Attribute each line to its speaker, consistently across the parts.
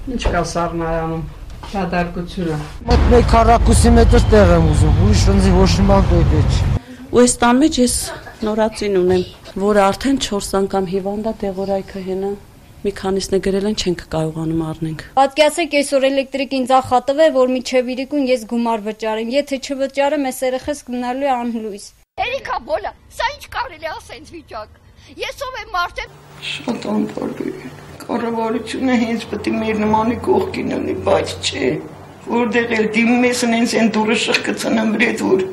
Speaker 1: Ինչ կա Սառնարանում, դատարկությունը։
Speaker 2: Մոտ 1 քառակուսի մետր տեղ եմ ուզում, ուրիշ ոնցի ոչ մի բան դոյդե չի։
Speaker 3: Ու այստան մեջ ես նորածին ունեմ, որը արդեն 4 անգամ հիվանդ է, դեղորայքը հենա։ Մի քանիսն է գրել են, չենք կարողանում առնենք։
Speaker 4: Պատկերացրեք, այսօր էլեկտրիկ ինձ ախատվել, որ միջև իրիկուն ես գումար վճարեմ։ Եթե չվճարեմ, այս երեխես գնալու է անլույս։
Speaker 5: Էրիկա բոլա, սա ինչ կարելի ասել ինձ վիճակ։ Ես ով եմ մարդը։
Speaker 1: Շատ անփարվի է։ Կառավարությունը հենց պետք է մեր նմանի կողքին լինի, բայց չէ։ Որտեղ էլ դիմում ես են դուրը շղկցնեմ վրեդ որ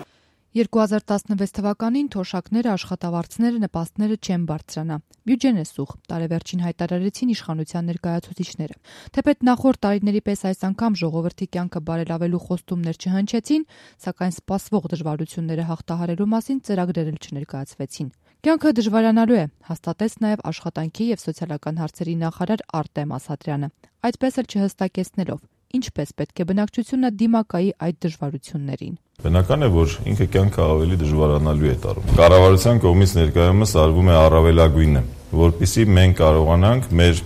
Speaker 6: 2016 թվականին թոշակները, աշխատավարձները, նպաստները չեն բարձրանա։ Բյուջեն է սուղ, տարեվերջին հայտարարեցին իշխանության ներկայացուցիչները։ Թեպետ նախորդ տարիների պես այս անգամ ժողովրդի կյանքը բարելավելու խոստումներ չհնչեցին, սակայն սպասվող դժվարությունները հաղթահարելու մասին ծրագրեր էլ չներկայացվեցին։ Կյանքը դժվարանալու է, հաստատեց նաև աշխատանքի եւ սոցիալական հարցերի նախարար Արտեմ Ասատրյանը, այդպես էլ չհստակեցնելով, ինչպես պետք է բնակչությունը դիմակայի այդ դժվարություններին։
Speaker 7: Բնական է, որ ինքը կյանքը ավելի դժվարանալու է տարում։ Կառավարության կողմից ներկայումս արվում է առավելագույնը, որպեսզի մենք կարողանանք մեր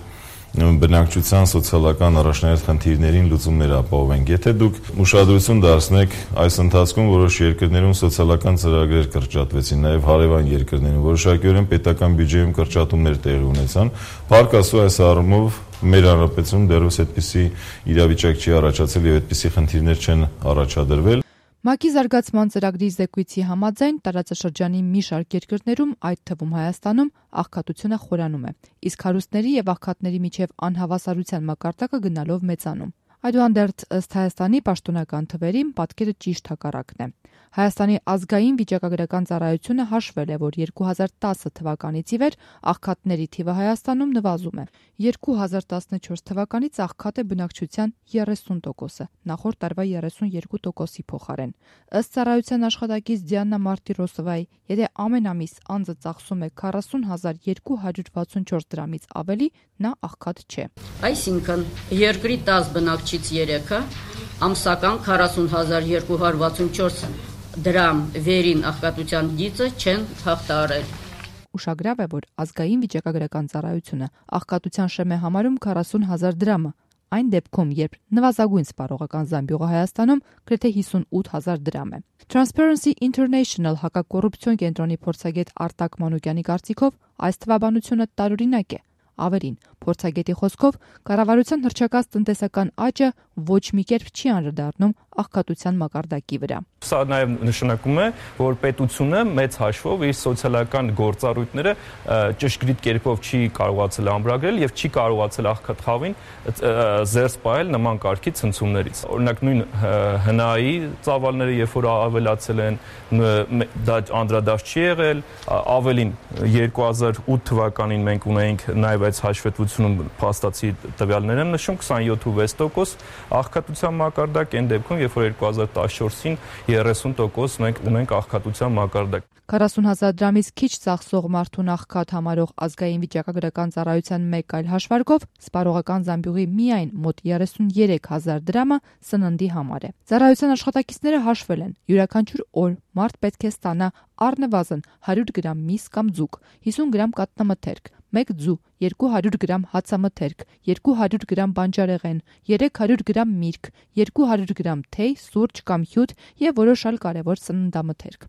Speaker 7: բնակչության սոցիալական առաջնահերթ խնդիրներին լուծումներ ապահովենք։ Եթե դուք ուշադրություն դարձնեք, այս ընթացքում որոշ երկրներում սոցիալական ծրագրեր կրճատվեցին, նաև հարևան երկրներում որոշակիորեն պետական բյուջեում կրճատումներ տեղի ունեցան։ Փառք Աստծո, այս առումով մեր հանրապետությունում դեռևս այդպիսի իրավիճակ չի առաջացել եւ այդպիսի խնդիրներ չեն առաջադրվել։
Speaker 6: ՄԱԿ-ի զարգացման ծրագրի զեկույցի համաձայն տարածաշրջանի մի շարք երկրներում, այդ թվում Հայաստանում, աղքատությունը խորանում է, իսկ հարուստների եւ աղքատների միջև անհավասարության մակարդակը գնալով մեծանում։ Այդուհանդերձ ըստ Հայաստանի պաշտոնական թվերի պատկերը ճիշտ հակառակն է։ Հայաստանի ազգային վիճակագրական ծառայությունը հաշվել է, որ 2010 թվականից ի վեր աղքատների թիվը Հայաստանում նվազում է։ 2014 թվականից աղքատ է բնակչության 30%-ը, նախորդ տարվա 32%-ի փոխարեն։ Ըստ ծառայության աշխատակից Դիանա Մարտիրոսովայի, եթե ամեն ամիս անձը ծախսում է 40,264 դրամից ավելի, նա աղքատ չէ։
Speaker 3: Այսինքն, երկրի 10 բնակչից 3-ը ամսական 40,264 դրամ վերին աղքատության գիծը չեն հաղթահարել։
Speaker 6: Ուշագրավ է, որ ազգային վիճակագրական ծառայությունը աղքատության շեմ է համարում 40,000 դրամը, այն դեպքում, երբ նվազագույն սպառողական զամբյուղը Հայաստանում գրեթե 58,000 դրամ է։ Transparency International հակակոռուպցիոն կենտրոնի փորձագետ Արտակ Մանուկյանի կարծիքով այս թվաբանությունը տարօրինակ է։ Ավելին, փորձագետի խոսքով, կառավարության հռչակած տնտեսական աճը ոչ մի կերպ չի անդրադառնում աղքատության մակարդակի վրա։
Speaker 8: Սա նաև նշանակում է, որ պետությունը մեծ հաշվով իր սոցիալական գործառույթները ճշգրիտ կերպով չի կարողացել ամրագրել եւ չի կարողացել աղքատ խավին զերծ պահել նման կարգի ցնցումներից։ Օրինակ նույն ՀՆԱ-ի ծավալները, երբ որ ավելացել են, դա անդրադարձ չի եղել, ավելին 2008 թվականին մենք ունեինք նաև այս հաշվետվությունում փաստացի տվյալներ են նշում 27.6% աղքատության մակարդակ, այն դեպքում, երբ որ 2014-ին 30% մենք ունենք աղքատության մակարդակ։
Speaker 6: 40,000 դրամից քիչ ծախսող մարդուն աղքատ համարող ազգային վիճակագրական ծառայության մեկ այլ հաշվարկով սպառողական զամբյուղի միայն մոտ 33,000 դրամը սննդի համար է։ Ծառայության աշխատակիցները հաշվել են, յուրաքանչյուր օր մարդ պետք է ստանա առնվազն 100 գրամ միս կամ ձուկ, 50 գրամ կատնամթերք, 1 ձու, 200 գրամ հացամթերք, 200 գրամ բանջարեղեն, 300 գրամ միրգ, 200 գրամ թեյ, սուրճ կամ հյութ եւ որոշ այլ կարեւոր սննդամթերք։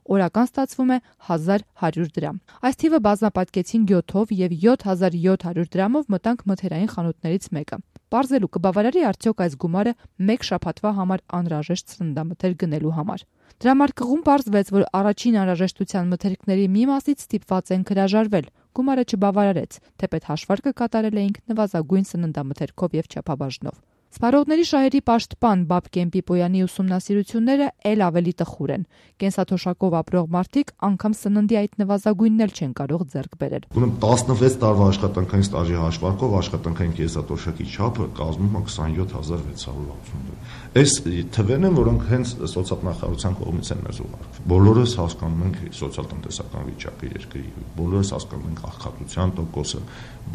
Speaker 6: Օրական ստացվում է 1100 դրամ։ Այս թիվը բազմապատկեցին գյոթով եւ 7700 դրամով մտանք մթերային խանութներից մեկը։ Պարզելու կբավարարի արդյոք այս գումարը մեկ շաբաթվա համար անհրաժեշտ սննդամթերք գնելու համար։ Դրամարկղում պարզվեց, որ առաջին անհրաժեշտության մթերքների մի մասից ստիպված են հրաժարվել։ Գումարը չբավարարեց, թեպետ հաշվարկը կատարել էինք նվազագույն սննդամթերքով եւ չափաբաժնով։ Սպառողների շահերի պաշտպան Բաբկեն Պիպոյանի ուսումնասիրությունները ել ավելի տխուր են։ Կենսաթոշակով ապրող մարդիկ անգամ սննդի այդ նվազագույնն էլ չեն կարող ձեռք բերել։
Speaker 9: Ուրեմն 16 տարվա աշխատանքային ստաժի հաշվարկով աշխատանքային կենսաթոշակի չափը կազմում է 27660 դրամ։ Այս թվերն են, որոնք հենց սոցիալնախարարության կողմից են մեզ ուղարկվել։ Բոլորս հասկանում ենք սոցիալ-տնտեսական վիճակը երկրի, բոլորս հասկանում ենք աղքատության տոկոսը,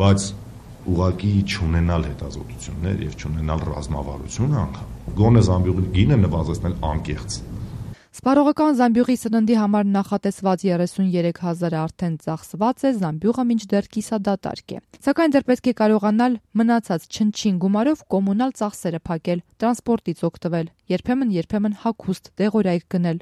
Speaker 9: բայց ուղղակի չունենալ հետազոտություններ եւ չունենալ ռազմավարություն անգամ գոնե զամբյուղի գինը նվազեցնել անկեղծ։
Speaker 6: Սպառողական Զամբյուղի սննդի համար նախատեսված 33,000-ը արդեն ծախսված է, Զամբյուղը մինչդեռ կիսադատարկ է։ Սակայն դեռ պետք է կարողանալ մնացած չնչին գումարով կոմունալ ծախսերը փակել, տրանսպորտից օգտվել, երբեմն հագուստ, դեղորայք գնել։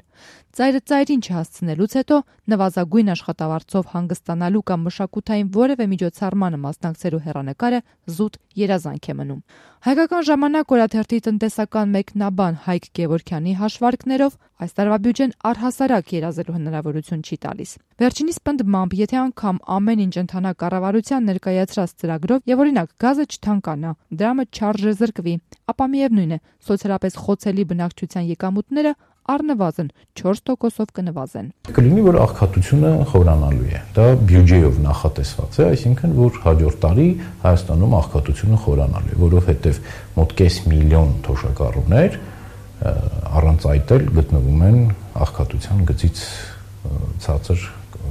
Speaker 6: Ծայրը ծայրին չհասցնելուց հետո նվազագույն աշխատավարձով հանգստանալու կամ մշակութային որևէ միջոցառմանը մասնակցելու հեռանկարը զուտ երազանք է մնում։ Հայկական ժամանակ օրաթերթի տնտեսական մեկնաբան Հայկ Գևորգյանի հաշվարկներով այս տարվա բյուջեն առհասարակ երազելու հնարավորություն չի տալիս։ Վերջինիս պնդմամբ, եթե անգամ ամեն ինչ ընթանա կառավարության ներկայացրած ծրագրով եւ օրինակ գազը չթանկանա, դրամը չարժե զրկվի, ապա միևնույն է, սոցիալապես խոցելի բնակչության եկամուտները առնվազն 4%-ով կնվազեն։
Speaker 10: Կլինի, որ աղքատությունը խորանալու է։ Դա բյուջեով նախատեսված է, այսինքն որ հաջորդ տարի Հայաստանում աղքատությունը խորանալու է, որովհետև մոտ 500,000 թոշակառուներ առանց այդ էլ գտնվում են աղքատության գծից ցածր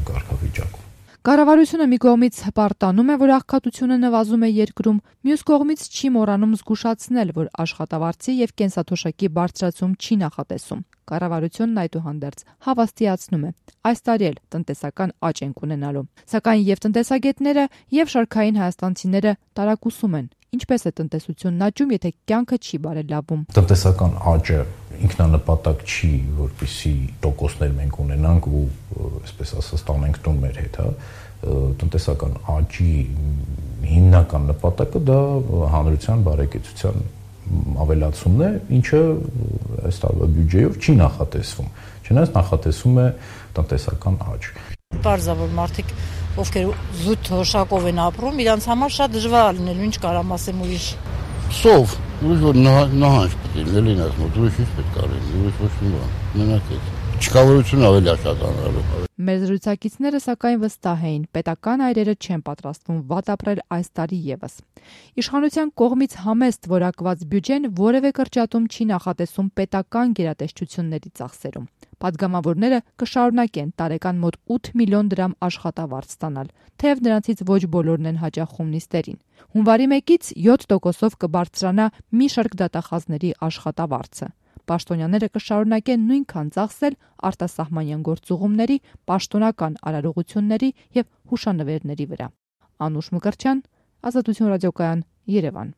Speaker 10: կարգավիճակում։
Speaker 6: Կառավարությունը մի կողմից հպարտանում է, որ աղքատությունը նվազում է երկրում, մյուս կողմից չի մոռանում զգուշացնել, որ աշխատավարձի եւ կենսաթոշակի բարձրացում չի նախատեսում։ Կառավարությունն այդուհանդերձ հավաստիացնում է, այս տարի էլ տնտեսական աճ ենք ունենալու։ Սակայն եւ տնտեսագետները եւ շարքային հայաստանցիները տարակուսում են։ Ինչպես է տնտեսությունն աճում, եթե կյանքը չի բարելավում։
Speaker 10: Տնտեսական աճը ինքնանպատակ չի, որպեսզի տոկոսներ մենք ունենանք ու այսպես ասած տանենք տուն մեր հետ, հա։ Տնտեսական աճի հիմնական նպատակը դա հանրության բարեկեցության ավելացումն է, ինչը այս տարվա բյուջեով չի նախատեսվում։ Չնայած նախատեսվում է տնտեսական աճ։
Speaker 11: Պարզա որ մարդիկ ովքեր զուտ թոշակով են ապրում, իրանց համար շատ դժվար լինելու, ինչ կարամ ասեմ ուրիշ։
Speaker 12: Սով, ուրիշ որ նահանջ պետք է լինելին այս մոտ, ուրիշ ինչ պետք է լինի, ուրիշ ոչ մի բան, մենակ է։ Չկավորություն ավելի աշտանալու։
Speaker 6: Մեր զրուցակիցները սակայն վստահ էին, պետական այրերը չեն պատրաստվում վատ ապրել այս տարի եւս։ Իշխանության կողմից համեստ որակված բյուջեն որևէ կրճատում չի նախատեսում պետական գերատեսչությունների ծախսերում։ Պատգամավորները կշարունակեն տարեկան մոտ 8 միլիոն դրամ աշխատավարձ ստանալ, թեև նրանցից ոչ բոլորն են հաճախում նիստերին։ Հունվարի 1-ից 7%-ով կբարձրանա մի շարք դատախազների աշխատավարձը։ Պաշտոնյաները կշարունակեն նույնքան ծախսել արտասահմանյան գործուղումների, պաշտոնական արարողությունների եւ հուշանվերների վրա։ Անուշ Մկրտչյան, Ազատություն ռադիոկայան, Երևան։